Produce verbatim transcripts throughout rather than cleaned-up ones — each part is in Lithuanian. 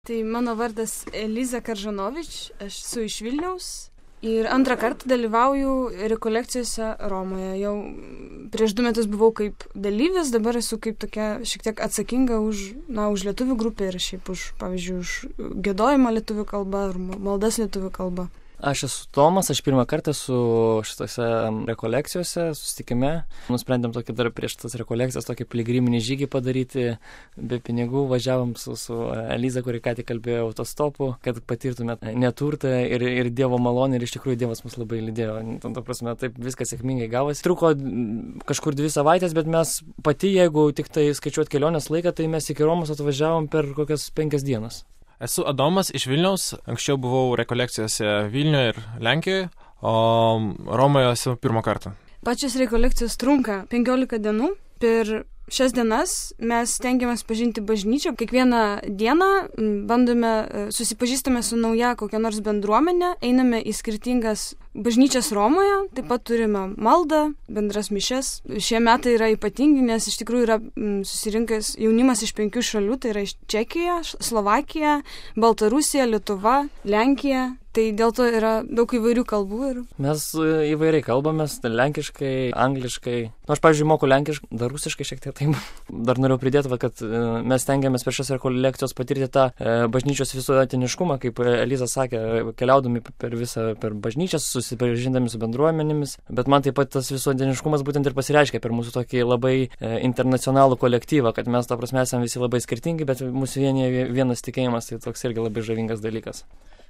Tai mano vardas Eliza Karžanovič, aš esu iš Vilniaus ir antrą kartą dalyvauju rekolekcijose Romoje. Jau prieš du metus buvau kaip dalyvis, dabar esu kaip tokia šiek tiek atsakinga už, na, už lietuvių grupę ir šiaip už, pavyzdžiui, už giedojimą lietuvių kalbą ar maldas lietuvių kalbą. Aš esu Tomas, aš pirmą kartą su šitose rekolekcijose, susitikime. Nusprendėm tokį dar prieš tas rekolekcijas tokį piligriminį žygį padaryti, be pinigų. Važiavom su, su Eliza, kuri ką tik kalbėjo autostopu, kad patirtume neturtą ir, ir Dievo malonę, ir iš tikrųjų Dievas mus labai lydėjo. Ta prasme, taip viskas sėkmingai gavosi. Truko kažkur dvi savaitės, bet mes pati, jeigu tik tai skaičiuot kelionės laiką, tai mes iki Romos atvažiavom per kokias penkias dienas. Esu Adomas iš Vilniaus, anksčiau buvau rekolekcijose Vilniuje ir Lenkijoje, o Romoje esu pirmą kartą. Pačios rekolekcijos trunka penkiolika dienų. Per šias dienas mes stengiamės pažinti bažnyčią. Kiekvieną dieną bandome, susipažįstame su nauja kokia nors bendruomenė, einame į skirtingas bažnyčias Romoje, taip pat turime maldą, bendras mišias. Šie metai yra ypatingi, nes iš tikrųjų yra susirinkęs jaunimas iš penkių šalių, tai yra iš Čekija, Slovakija, Baltarusija, Lietuva, Lenkija. Tai dėl to yra daug įvairių kalbų. Ir... Mes įvairiai kalbamės, lenkiškai, angliškai. Nu, aš, pavyzdžiui, moku lenkiškai, dar rusiškai šiek tiek taip. Dar noriu pridėti, va, kad mes stengiamės per šias rekolekcijos patirti tą e, bažnyčios visuotiniškumą, kaip Eliza sakė, keliaudami per visą, per bažnyčias, susipažindami su bendruomenėmis. Bet man taip pat tas visuotiniškumas būtent ir pasireiškia per mūsų tokį labai e, internacionalų kolektyvą, kad mes, ta prasme, esame visi labai skirtingi, bet mūsų vienyje vienas tikėjimas, tai toks irgi labai žavingas dalykas.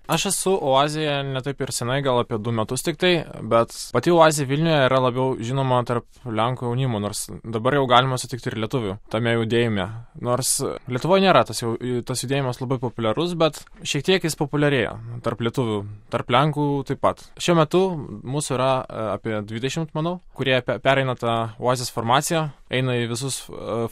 Aš esu Oazėje ne taip ir senai, gal apie du metus tik tai, bet pati Oazė Vilniuje yra labiau žinoma tarp Lenkų jaunimo, nors dabar jau galima sutikti ir lietuvių tame judėjime. Nors Lietuvoje nėra tas, jau, tas judėjimas labai populiarus, bet šiek tiek jis populiarėja tarp lietuvių, tarp Lenkų taip pat. Šiuo metu mūsų yra apie dvidešimt, manau, kurie pereina tą Oazės formaciją, eina į visus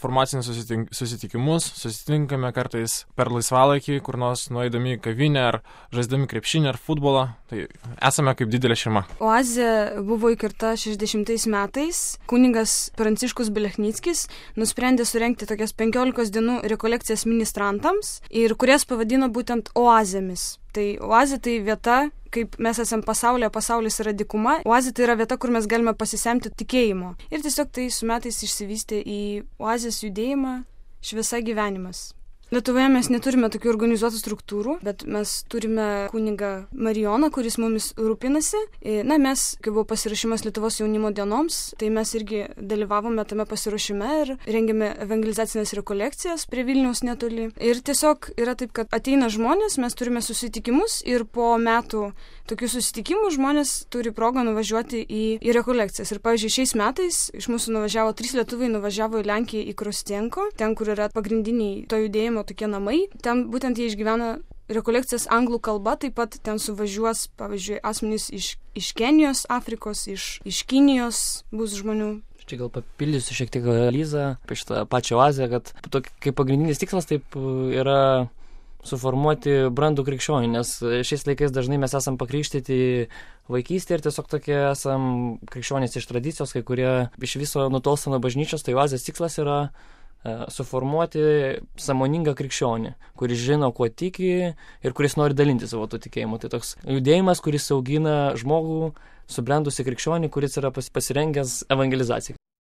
formacinius susitink, susitikimus, susitinkame kartais per laisvalaikį, kur nors nueidami į kavinę ar žaisdami krepšinį ar futbolą, tai esame kaip didelė šeima. Oazė buvo įkurta šešiasdešimtais metais. Kunigas Pranciškus Belechnickis nusprendė surengti tokias penkiolikos dienų rekolekcijas ministrantams ir kurias pavadino būtent oazėmis. Tai oazė tai vieta, kaip mes esam pasaulyje, pasaulis yra dykuma. Oazė tai yra vieta, kur mes galime pasisemti tikėjimo. Ir tiesiog tai su metais išsivystė į oazės judėjimą Šviesa gyvenimas. Lietuvoje mes neturime tokių organizuotų struktūrų, bet mes turime kunigą Marijoną, kuris mumis rūpinasi. Na, mes, kai buvo pasirašymas Lietuvos jaunimo dienoms, tai mes irgi dalyvavome tame pasiruošime ir rengėme evangelizacinės rekolekcijas prie Vilniaus netoli. Ir tiesiog yra taip, kad ateina žmonės, mes turime susitikimus ir po metų tokių susitikimų žmonės turi progą nuvažiuoti į, į rekolekcijas. Ir, pavyzdžiui, šiais metais iš mūsų nuvažiavo, trys lietuviai nuvažiavo į Lenkiją į Krostienko, ten, kur yra pagrindiniai to judėjimo tokie namai. Ten būtent jie išgyvena rekolekcijas anglų kalba, taip pat ten suvažiuos, pavyzdžiui, asmenys iš, iš Kenijos, Afrikos, iš, iš Kinijos bus žmonių. Čia gal papildysiu šiek tiek Elizą apie šitą pačią oazę, kad tokia, kaip pagrindinis tikslas taip yra suformuoti brandų krikščionį, nes šiais laikais dažnai mes esam pakrikštyti vaikystėje ir tiesiog tokie esam krikščionys iš tradicijos, kai kurie iš viso nutolsta nuo bažnyčios, tai oazės tikslas yra suformuoti sąmoningą krikščionį, kuris žino, kuo tiki ir kuris nori dalinti savo to tikėjimu. Tai toks judėjimas, kuris augina žmogų, subrendusi krikščionį, kuris yra pasirengęs evangelizacijai.